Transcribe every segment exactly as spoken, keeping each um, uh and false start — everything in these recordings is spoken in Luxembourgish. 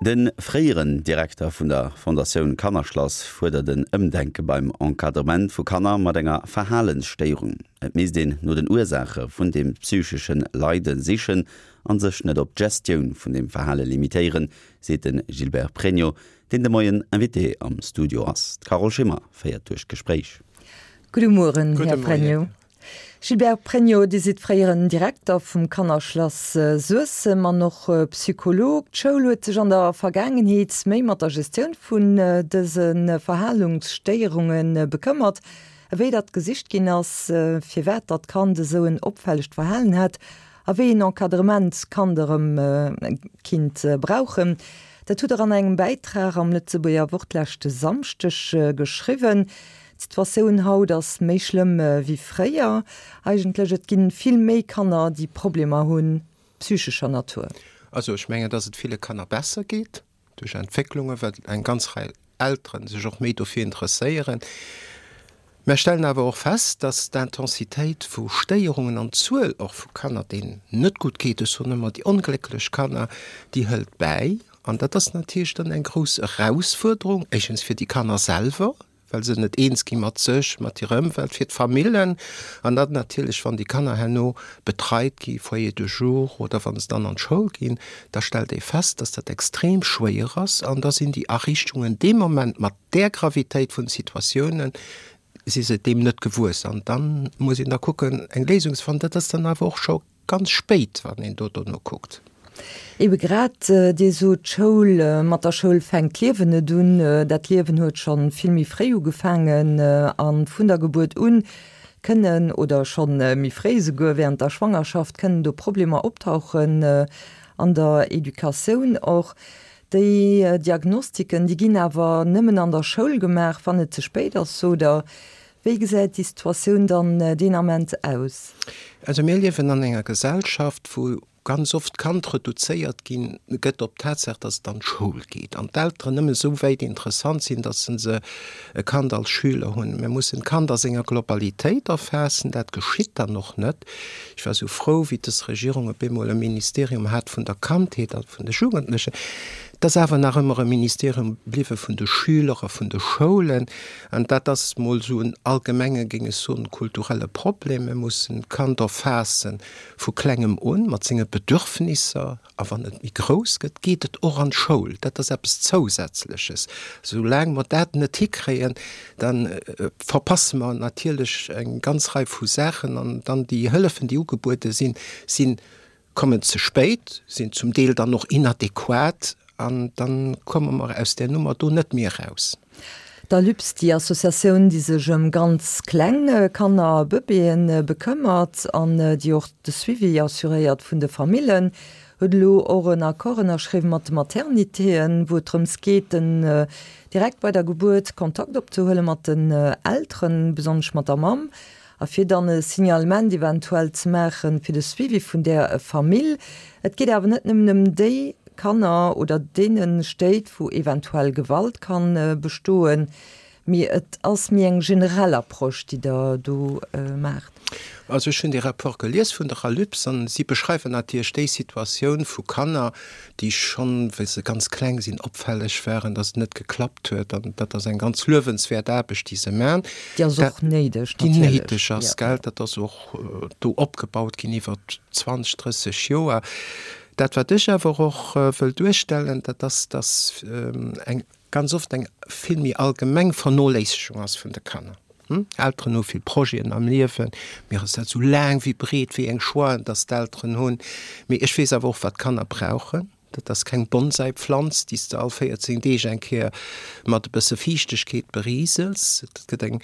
De fréieren Direkter vun der Fondatioun Kannerschlass fuerdert en Ëmdenke beim Encadrement vu Kanner mat enger Verhalensstéierung. Et misst een no den Ursaache vun dem psychesche Leide sichen an sech net op d'Gestioun vun dem Verhale limitéieren, seet de Gilbert Pregno, deen de Moien Invité am Studio ass. D'Carole Schimmer féiert duerch d'Gespréich. Gudde Mueren, Här Pregno. Gilbert Pregno, Dir sidd fréieren Direkter vum Kannerschlass Suessem an och Psycholog. D'Schoul huet sech an der Vergaangenheet méi mat der Gestioun vun dëse Verhalungsstéierunge bekëmmert, ewéi datt gesicht ginn ass, firwat datt Kand esou en opfällegt Verhalen hätt a wéi een Encadrement d'Kand erëm kinnt brauchen. Dat hutt Der an engem Bäitrag am Lëtzebuerger Wort leschte Samschdeg geschriwwen. D'Situatioun haut ass méi schlëmm wéi fréier eigentlech. Et ginn vill méi Kanner, déi Problemer hunn, psychescher Natur. Also ech mengen, dass et ville Kanner besser geet duerch Entwécklungen, well eng ganz Rei Elteren sech och méi dofir interesséieren. Mer stellen awer och fest, dass d'Intensitéit vu Stéierungen an d'Zuel och vu Kanner, deenen net gutt geet, ech soen ëmmer déi onglécklech Kanner, déi hëlt bäi. An dat ass natierlech dann eng grouss Erausfuerderung, éischtens fir déi Kanner selwer, well se net eens gi mat sech, mat hirer Ëmwelt, fir d'Famillen an dann natierlech, wann déi Kanner herno betreit gi, Foyer de jour, oder wa se dann an d'Schoul ginn, da stellt ee fest, dass dat extrem schwéier ass an da sinn déi Ariichtungen dee Moment mat där Gravitéit vun de Situatiounen, si se deem net gewuess an dann muss een da kucken eng Léisung ze fannen. Dat ass dann awer och scho ganz spéit, wann een do dono kuckt. Ebe grad, Dir sot d'Schoul, mat der Schoul fänkt d'Liewen net un. Dat Liewen huet scho vill méi fréi ugefaangen a vun der Gebuert un kënnen, oder scho méi fréi esouguer, während der Schwangerschaft, kënnen do Problemer optauchen an der Educatioun och. Déi Diagnostiken, déi ginn awer nëmmen an der Schoul gemaach, wann et ze spéit ass, sot Der. Wéi gesäit déi Situatioun dann deen Ament aus? Also mir liewen an enger Gesellschaft, wou ganz oft d'Kand reduzéiert ginn gëtt op d'Tatsaach, dass et an d'Schoul geet an d'Elteren nëmme esou wäit interessant sinn, dass se se e Kand als Schüler hunn. Mir mussen d'Kand a senger Globalitéit erfaassen. Dat geschitt dann och net. Ech war esou frou, wéi dës Regierung op eemol e Ministerium hat vun der Kandheet a vun de Jugendlechen. Et ass awer nach ëmmer e Ministerium bliwwe vun de Schüler a vun de Schoulen. An dat ass mol esou en allgemenge, géing ech soen, kulturelle Problem. Mir mussen d'Kand erfaasse vu Klengem un, mat senge Bedürfnisser. A wann et méi grouss gëtt, geet et och an d'Schoul. Dat ass eppes Zousätzleches. Soulaang mer dat net hikréien, da verpasse mer natierlech eng ganz Rei vu Saachen. An dann déi Hëllefen, déi ugebuede sinn, sinn kommen ze spéit, sinn zum Deel dann och inadequat an dann komme mer aus där Nummer do net méi eraus. D'Alyps, déi Associatioun, déi sech ëm ganz kleng Kanner a Bëbeeën bekëmmert an déi och de Suivi assuréiert vun de Famillen, huet elo och en Accord ënnerschriwwen mat de Maternitéen, wou et drëms geet, den direkt bei der Gebuert Kontakt opzehuele mat den Elteren, besonnesch mat der Mamm, A fir dann e Signalement eventuell ze maache fir de Suivi vun där Famill. Et geet awer net nëmmen ëm déi Kanner oder deene Stéit, wou eventuell Gewalt ka bestoen, mee et ass méi eng generell Approche, déi Der do maacht. Also ech hunn dee Rapport gelies vun der ALUPS an si beschreiwen natierlech déi Situatioun vu Kanner, déi schonn, wéi se ganz kleng sinn, opfälleg waren, dass et net geklappt huet. An dat ass eng ganz luewenswäert Aarbecht, déi se maachen. Déi ass och néideg, natierlech. Déi néideg ass, gell. Dat ass och do opgebaut ginn iwwer zwanzeg, drësseg Joer. Dat, wat ech awer och wëll duerstellen, dat ass, dass eng ganz oft eng vill méi allgemeng Vernoléissegung ass vun de Kanner. Elteren hu vill Projeten am Liewen. Mir ass dat esou laang wéi breet wéi eng Choixen, dass d'Elteren hunn. Mee ech weess awer och, wat d'Kanner brauchen. Dat ass keng Bonsai-Pflanz, déi s de all véierzéng Deeg eng Kéier mat e bësse Fiichtegkeet beriesels. Et gëtt eng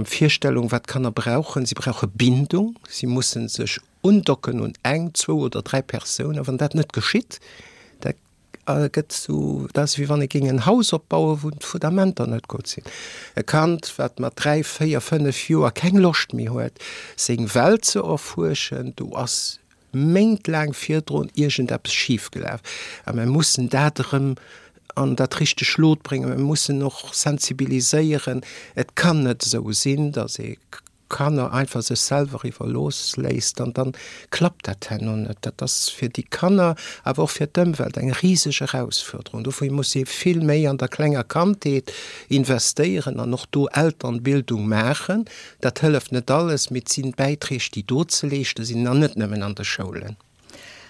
Virstellung, wat d'Kanner brauchen. Si brauche Bindung. Si musse sech undocken un eng, zwou oder dräi Persounen. Wann dat net geschitt, da gëtt esou, dat ass wéi wann ee géing en Haus opbauen, wou d'Fundamenter net gutt sinn. E Kand, wat mat dräi, véier, fënnef Joer keng Loscht méi huet, seng Welt ze erfuerschen, do ass méintlaang virdrun iergendeppes schif gelaf. A mir mussen dat erëm an dat richteg Lot bréngen. Mir mussen och sensibiliséieren. Et kann net esou sinn, datt ee Kanner einfach sech selwer iwwerlooss léisst, an dann klappt dat herno net. Dat ass fir déi Kanner, awer och fir d'Ëmwelt eng riseg Erausfuerderung. Dofir muss ee vill méi an der klenger Kandheet investéieren an och do Elternbildung maachen. Dat hëlleft net alles, mee et sinn Bäiträg, déi do ze leeschte sinn an net nëmmen an de Schoulen.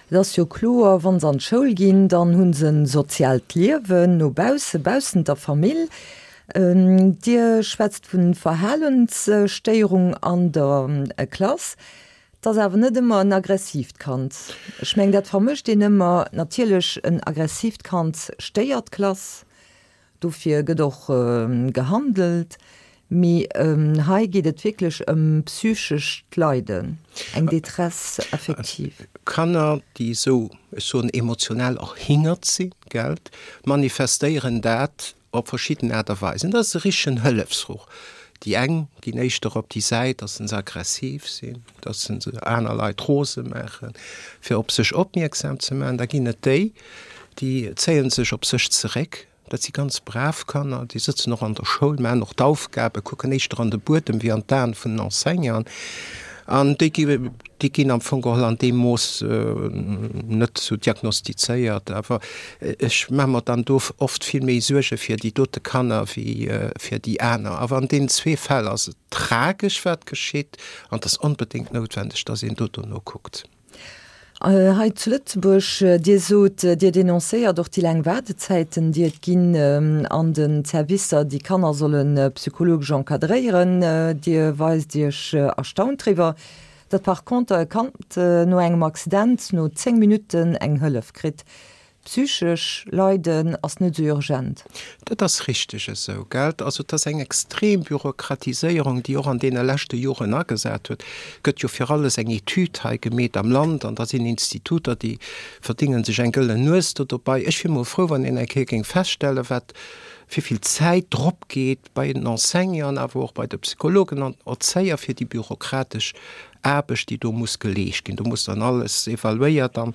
Et ass jo kloer, wa se an d'Schoul ginn, dann hu se en soziaalt Liewen no bausse, baussent der Famill. Dir schwätzt vu Verhalensstéierung an der Klass. Et ass awer net ëmmer en aggressiivt Kand. Ech mengen, dat vermëscht een ëmmer. Natierlech, en aggressiivt Kand stéiert d'Klass. Dofir gëtt och gehandelt. Mee hei geet et wierklech ëm psychescht Leiden, eng Détresse affective. Kanner, déi esou, ech soen, emotionell erhingert sinn, gell, manifestéieren dat op verschidden Aart a Weisen. Dat ass e richtegen Hëllefsruff. Déi eng ginn éischter op déi Säit, dass se aggressiv sinn, dass se aner Leit rose maachen, fir op sech opmierksam ze maachen. Da ginn et déi, déi zéie sech op sech zeréck. Dat si ganz brav Kanner, déi sëtzen och an der Schoul, maachen och d'Aufgaben, kucken éischter an de Buedem wéi an d'Aen vun den Enseignanten. An déi gi, déi ginn am Fong geholl an deem Mooss net esou diagnostizéiert. Awer ech maache mer dann do oft vill méi Suerge fir déi dote Kanner wéi fir déi aner. Awer an deenen zwee Fäll ass et tragesch, wat geschitt, an et ass onbedéngt noutwendeg, dass een do dono kuckt. Hei zu Lëtzebuerg, Dir sot, Dir denoncéiert och déi laang Waardezäiten, déi et ginn an den Servicer, déi Kanner solle psychologesch encadréieren. Dir weist Iech erstaunt driwwer, datt par conter e Kand no engem Accident no zéng Minutten eng Hëllef kritt. Psychesch Leiden ass net esou urgent. Dat ass richteg esou, gell? Also et ass eng extrem Bürokratiséierung, déi och an deene leschte Joren agesat huet. Et gëtt jo fir alles eng Etüd hei gemeet am Land an da sinn Instituter, déi verdénge sech eng gëllen Nues do dobei. Ech wier mol frou, wann een eng Kéier géing feststellen, wat, wéi vill Zäit drop geet bei den Enseignanten, awer och bei de Psychologen an Erzéier fir déi bürokratesch Aarbecht, déi do muss geleescht ginn. Do muss dann alles evaluéiert an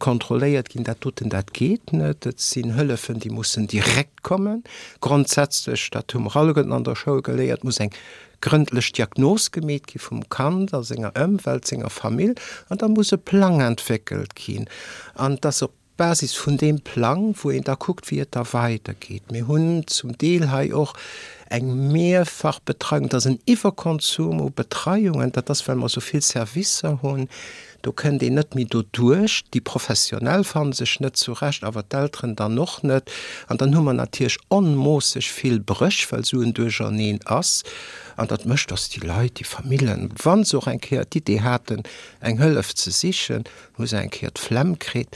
kontrolléiert ginn. Dat doten, dat geet net. Et sinn Hëllefen, déi mussen direkt kommen. Grondsätzlech, dat hu mer alleguerten an der Schoul geléiert, muss eng grëndlech Diagnos gemeet gi vum Kand a senger Ëmwelt, senger Famill, an da muss e Plang entwéckelt ginn. An et ass op Basis vun deem Plang, wou een da kuckt, wéi et da weidergeet. Mir hunn zum Deel hei och eng Mehrfachbetreiung, dat ass en Iwwerkonsum u Betreiungen, dat ass, well mer esou vill Servicer hunn. Do kënnt een net méi doduerch. Déi Professionell fanne sech net zurecht, awer d'Elteren dann och net. An dann hu mer natierlech onmoosseg vill Bréch, well esou en Duercherneen ass. An dat mécht, dass déi Leit, déi Famillen, wa se och eng Kéier d'Idee haten, eng Hëllef ze sichen, hu se eng Kéier d'Flemm kritt.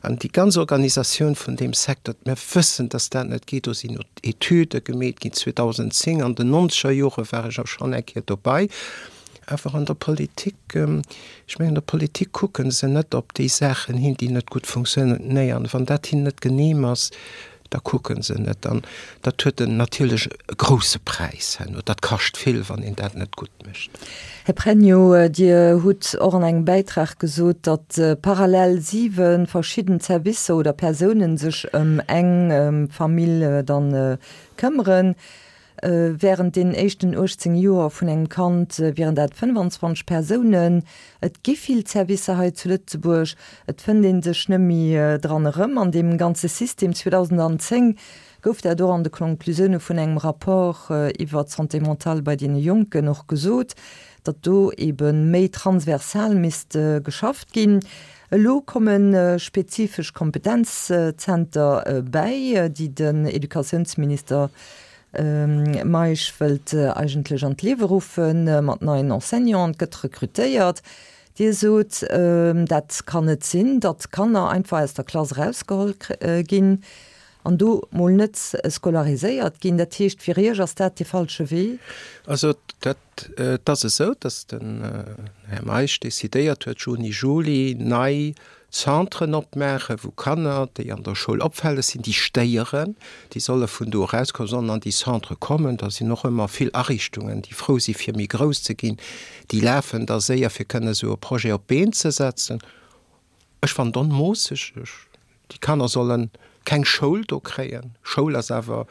An déi ganz Organisatioun vun deem Secteur, mir wëssen, dass dat net geet, do sinn Etüde gemeet ginn zweedausendzéng, an den nonzeger Jore war ech och schonn eng Kéier dobei. Awer an der Politik, ech mengen, an der Politik kucke se net op déi Saachen hin, déi net gutt funktionéieren. Wann dat hinnen net genehm ass, da kucke se net. An dat huet en natierlech e grousse Präis herno. Dat kascht vill, wann een dat net gutt mécht. Här Pregno, Dir hutt och an engem Bäitrag gesot, datt parallel siwe verschidden Servicer oder Persounen sech ëm eng Famill dann këmmeren. Wärend den éischten uechtzéng Joer vun engem Kand wieren dat fënnefanzwanzeg Persounen. Et gi vill Servicer hei zu Lëtzebuerg. Et fënnt ee sech net méi dran erëm an deem ganze System. zweedausendzéng gouf dat och an de Konklusioune vun engem Rapport iwwer d'Santé mentale bei deene Jonken och gesot, datt do ebe méi transversal misst geschafft ginn. Elo komme spezifesch Kompetenzzenter bäi, déi den Educatiounsminister Meisch wëllt eigentlech an d'Liewe ruffen, mat neien Enseignanten, et gëtt rekrutéiert. Dir sot, dat kann net sinn, datt Kanner einfach aus der Klass erausgeholl ginn an do mol net scolariséiert ginn. Dat heescht, fir Iech ass dat dee falsche Wee? Also dat, et ass esou, datt den Här Meisch decidéiert huet, Juni, Juli nei Centren opmaachen, wou Kanner, déi an der Schoul opfälleg sinn, déi stéieren, déi solle vun do erauskommen, sollen an déi Centre kommen. Da sinn och ëmmer vill Ariichtungen, déi frou si fir méi grouss ze ginn, déi lafen da séier, fir kënne esou e Projet op d'Been ze setzen. Ech fannen et onmoosseg. Déi Kanner solle keng Schoul do kréien. Schoul ass awer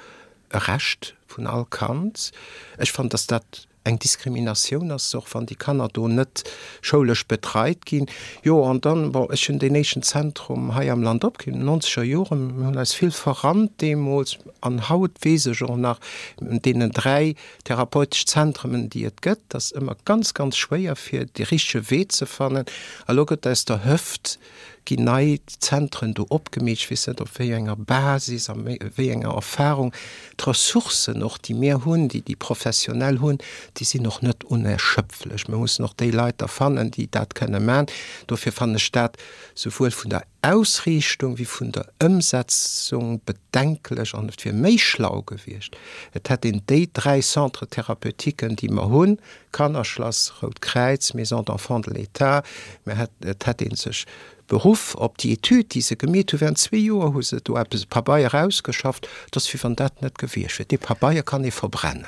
e Recht vun all Kand. Ech fannen, dass dat eng Diskriminatioun ass, och wann déi Kanner do net schoulesch betreit ginn. Jo, an dann, bon, ech hunn deen éischten Zentrum hei am Land opginn, an den nonzeger Joren, mir hunn eis vill verrannt deemools an haut weess ech och nach, un deenen dräi therapeutesch Zentremen, déi et gëtt, et ass ëmmer ganz, ganz schwéier fir de richtege Wee ze fannen. A lo gëtt aus der Hëft ginn nei Zentren do opgemeet, ech weess net op wéi enger Basis a wéi enger Erfahrung. D'Ressourcen och, déi mir hunn, déi déi Professionell hunn, déi sinn och net unerschöpflech. Mir mussen och déi Leit da fannen, déi dat kënne man. Dofir fannen ech dat souwuel vun der Ausriichtung wéi vun der Ëmsetzung bedenklech an et wier méi schlau gewiescht, et hätt een déi dräi Centres thérapeutiques, déi mer hunn, Kannerschlass, Rout Kräiz, Maison d'enfants de l'État, mä et hätt ee sech beruff op déi Etüd, déi se gemeet hu während zwee Joer, hu se do eppes, e Pabeier erausgeschafft, et ass wéi wann dat net gewiescht wier. Dee Pabeier kann ee verbrennen.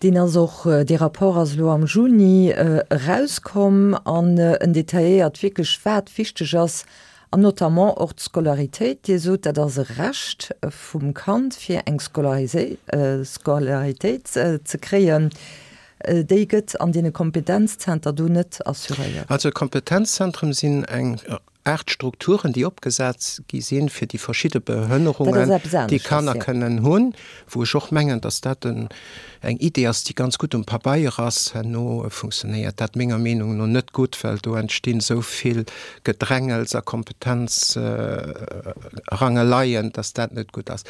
Deen ass och, dee Rapport ass elo am Juni erauskomm an en detailléiert wierklech, wat wichteg ass an notamment och d'Scolaritéit. Dir sot, dat ass e Recht vum Kand, fir eng Scolaritéit ze kréien. Déi gëtt an deene Kompetenzzenter do net assuréiert. Also Kompetenzzentren sinn eng Aart Strukturen, déi opgesat gi sinn, fir déi verschidde Behënnerungen, déi Kanner kënnen hunn, wou ech och mengen, dass dat eng Idee ass, déi ganz gutt um Pabeier ass. Herno funktionéiert dat menger Meenung no net gutt, well do entstinn esou vill Gedrängels a Kompetenzrangeleien, dass dat net gutt ass.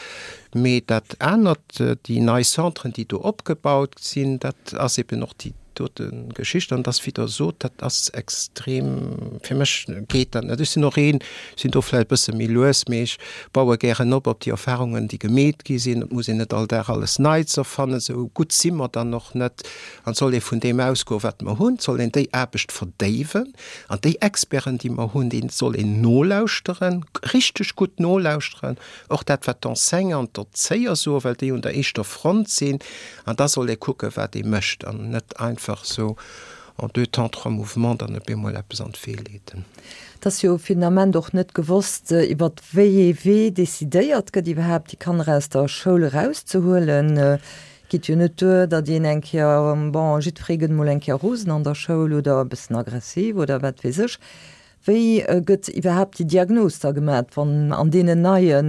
Mee dat anert, déi nei Centren, déi do opgebaut sinn, dat ass eben och déi dote Geschicht. An dass, wéi Der sot, dat ass extrem, fir mech geet dat net. Ech sinn och een, sinn do vläicht e bësse méi lues, mee ech baue gären op op déi Erfahrungen, déi gemeet gi sinn. Et muss een net all Dag alles Neits erfannen, esou gutt si mer dann och net. An et soll ee vun deem ausgoen, wat mer hunn. Et soll een déi Aarbecht verdéiwen an déi Experten, déi mer hunn, deene soll een nolauschteren, richteg gutt nolauschteren. Och dat, wat d'Enseignanten, d'Erzéier soen, well déi un der éischter Front sinn. An da soll ee kucken, wat ee mécht, an net einfach esou en deux temps, trois mouvements dann op eemol eppes an d'Wee leeden. Et ass jo fir den Ament och net gewosst, iwwer wéi ee Wee decidéiert gëtt, iwwerhaapt déi Kanner aus der Schoul erauszehuelen. Et geet jo net duer, datt een eng Kéier, bon, jiddweree gëtt emol eng Kéier rosen an der Schoul oder e bëssen aggressiv oder wat weess ech. Wéi gëtt iwwerhaapt déi Diagnos da gemat, wann an deenen neie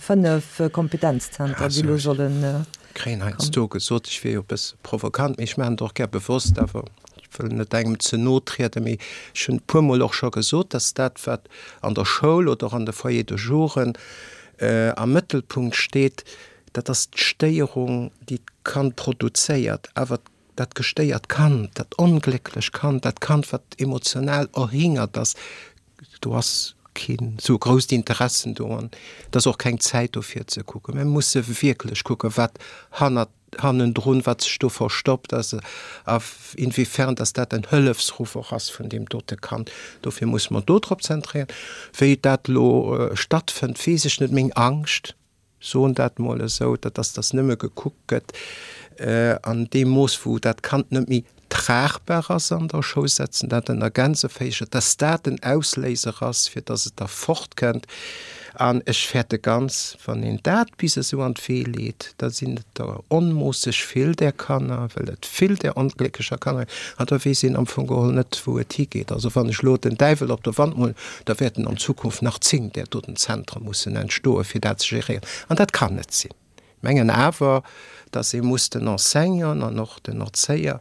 fënnef Kompetenzzenter, déi elo solle kommen? Kréien heiansdo gesot, ech wier jo e bësse provokant, mee ech maachen et och gär bewosst, awer ech wëll net engem ze no trieden, mee ech hunn e puermol och scho gesot, dass dat, wat an der Schoul oder och an de Foyers de jouren am Mëttelpunkt steet, dat ass d'Stéierung, déi d'Kand produzéiert, awer dat gestéiert Kand, dat onglécklech Kand, dat Kand, wat emotional erhingert ass, do ass keen esou grousst Interessen do an et ass och keng Zäit do fir ze kucken. Mir musse wierklech kucken, wat hannert, hannendrun, wat sech do verstoppt ass a inwiefern dass dat en Hëllefsruff och ass vun deem dote Kand. Dofir musse mer do drop zentréieren. Wéi dat elo stattfënnt, weess ech net. Meng Angscht, soen dat mol esou, dat ass, dass nëmme gekuckt gëtt an deem Mooss, wou dat Kand net méi tragbar ass an der Schoul, setzen dat ënner Gänseféischer, dass dat den Ausléiser ass, fir dass et da fortkënnt. An ech fäerte ganz, wann een dat bis esou an d'Wee leet, da sinn et der onmoosseg vill där Kanner, well et vill där onglécklecher Kanner ginn, an da weess een am Fong geholl net, wou et higeet. Also wann ech elo den Däiwel op der Wand molen, da wäerten an Zukunft nach zéng där doten Zentre mussen entstoen, fir dat ze geréieren. An dat kann net sinn. Ech mengen awer, dass ee muss den Enseignanten an och den Erzéier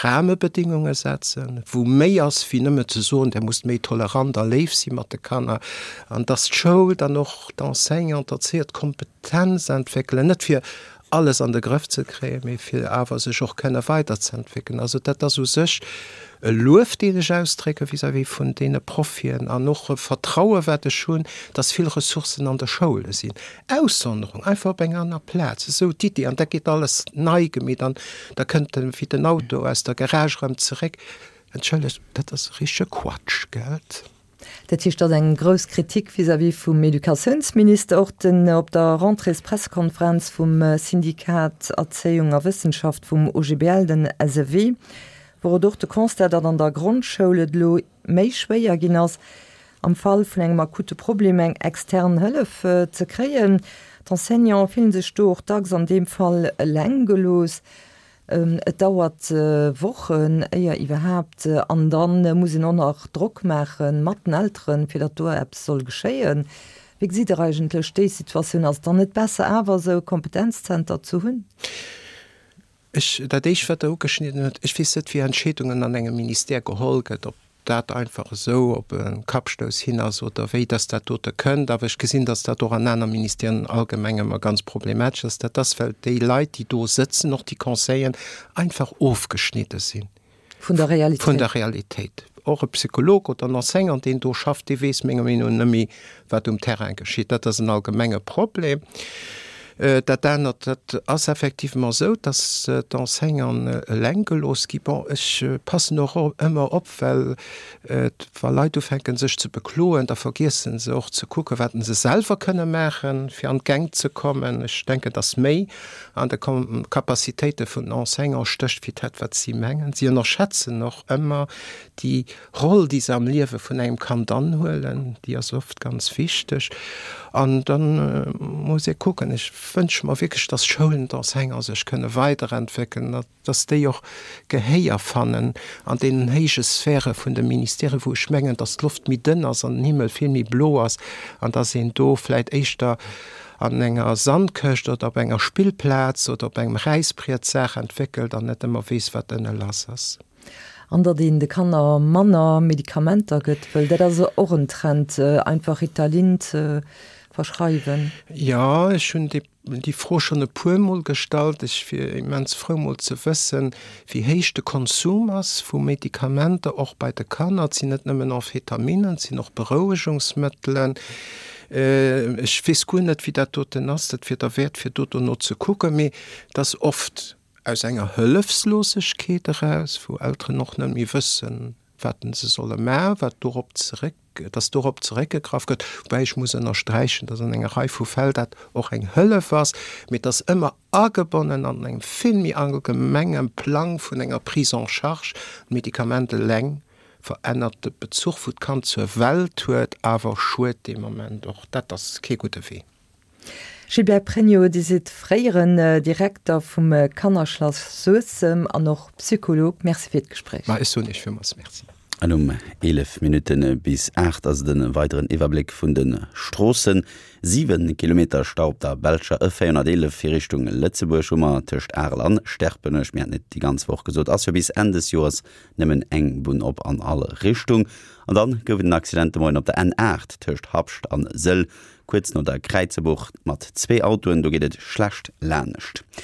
Rahmebedingunge setzen, wou méi ass wéi nëmme ze soen, Der musst méi tolerant a léif si mat de Kanner, an dass d'Schoul dann och d'Enseignanten, d'Erzéier d'Kompetenz entwéckelen, net fir alles an de Grëff ze kréien, mee fir awer sech och kënne weiderzeentwéckelen. Also dat ass u sech e Luef, deen ech ausdrécke vis-à-vis vun deene Profien an och e Vertraue wat ech hunn, dass vill Ressourcen an de Schoule sinn. Aussonderung, einfach op eng aner Plaz, esou d'Idee, an da geet alles nei gemeet an da kënnt en wéi den Auto aus der Garage erëm zeréck. Entschëllegt, dat ass e richtege Quatsch, gelt? Dat heescht, dat ass eng grouss Kritik vis-à-vis vum Educatiounsminister. Och den op der Rentréespressekonferenz vum Syndikat Erzéiung a Wëssenschaft vum O G B L, den S E W, wor et och de Constat, datt an der Grondschoul et elo méi schwéier ginn ass, am Fall vun engem akute Problem eng extern Hëllef ze kréien. D'Enseignante fillen sech do och dacks an deem Fall eleng gelooss. Et dauert Wochen, éier iwwerhaapt, an dann muss een och nach Drock maache mat den Elteren, fir datt do eppes soll geschéien. Wéi gesitt Der eigentlech déi Situatioun? Ass et dann net besser awer esou e Kompetenzzenter ze hunn? Ech, dat éischt wat Der ugeschnidden hutt, ech weess net wéi Entscheedungen an engem Ministère geholl gëtt, ob dat einfach esou op e Kappstouss hin ass oder wéi dass dat dote kënnt, awer ech gesinn, dass dat och an aner Ministèren allgemeng ëmmer ganz problematesch ass. Dat ass, well déi Leit, déi do sëtzen, och déi Conseilleren, einfach ofgeschnidde sinn. Vun der Realitéit. Vun der Realitéit. Och e Psycholog oder en Enseignant, deen do schafft, dee weess menger Meenung no net méi, wat um Terrain geschitt. Dat ass en allgemenge Problem. Dat anert, dat ass effectivement esou, dass d'Enseignanten eleng gelooss gi. Bon, ech passen och ëmmer op, well wa Leit ufänken sech ze bekloen, da vergiessen se och ze kucken, wat se selwer kënne maachen, fir an d'Gäng ze kommen. Ech denken, dass méi an de Capacitéite vun den Enseignanten stécht wéi dat, wat si mengen. Si ënnerschätzen och ëmmer déi Roll, déi se am Liewe vun engem Kand anhuelen, déi ass oft ganz wichteg. An da muss ee kucken, ech wënsche mer wierklech, dass d'Schoulen, d'Enseignanten sech kënne weiderentwéckelen, dass déi och Gehéier fannen an deenen héije Sphäre vun de Ministèren, wou ech mengen, dass d'Loft méi dënn ass an den Himmel vill méi blo ass an dass een do vläicht éischter an enger Sandkëscht oder op enger Spillplaz oder op engem Räisbriet d'Saach entwéckelt an net ëmmer weess, wat ënne lass ass. An datt een de Kanner manner Medikamenter gëtt, wëll dat ass och en Trend, einfach Ritalin ze verschreiwen. Jo, ech hunn déi Fro schonn e puermol gestallt. Ech wier immens frou mol ze wëssen, wéi héich de Konsum ass vu Medikamenter, och bei de Kanner. Et sinn net nëmmen Amphetaminen, et sinn och Berouegungsmëttelen. Ech weess guer net, wéi dat doten ass. Dat wier derwäert, fir do dono ze kucken. Mee et ass oft aus enger Hëllefslosegkeet eraus, wou Elteren och net méi wëssen, wat se solle maachen, wat dorop zeréck, dass dorop zeréckgegraff gëtt. Woubäi ech muss ënnersträichen, dass an enger Rei vu Fäll dat och eng Hëllef ass, mee et ass ëmmer agebonnen an engem vill méi allgemenge Plang vun enger Prise en charge. D'Medikament eleng verännert de Bezuch, wou d'Kand zur Welt huet, awer schued dee Moment och. Dat ass kee gudde Wee. Gilbert Pregno, Dir sidd fréieren Direkter vum Kannerschlass Suessem an och Psycholog. Merci fir d'Gespréich. Ma ech soen Iech villmools Merci. An um eelef Minutte bis aacht ass et e weideren Iwwerbléck vun de Stroossen. Siwe Kilometer Stau op der belscher E véierhonnerteelef fir Richtung Lëtzebuerg hu mer tëscht Arel an Sterpenech. Mir haten et déi ganz Woch gesot, ass jo bis Enn des Joers nëmmen eng Bunn op an all Richtung. An dann gouf et en Accident de Moien op der N aacht tëscht Habscht an Sëll, kuerz no der Kräizebuch mat zwee Autoen. Do geet et schlecht laanescht.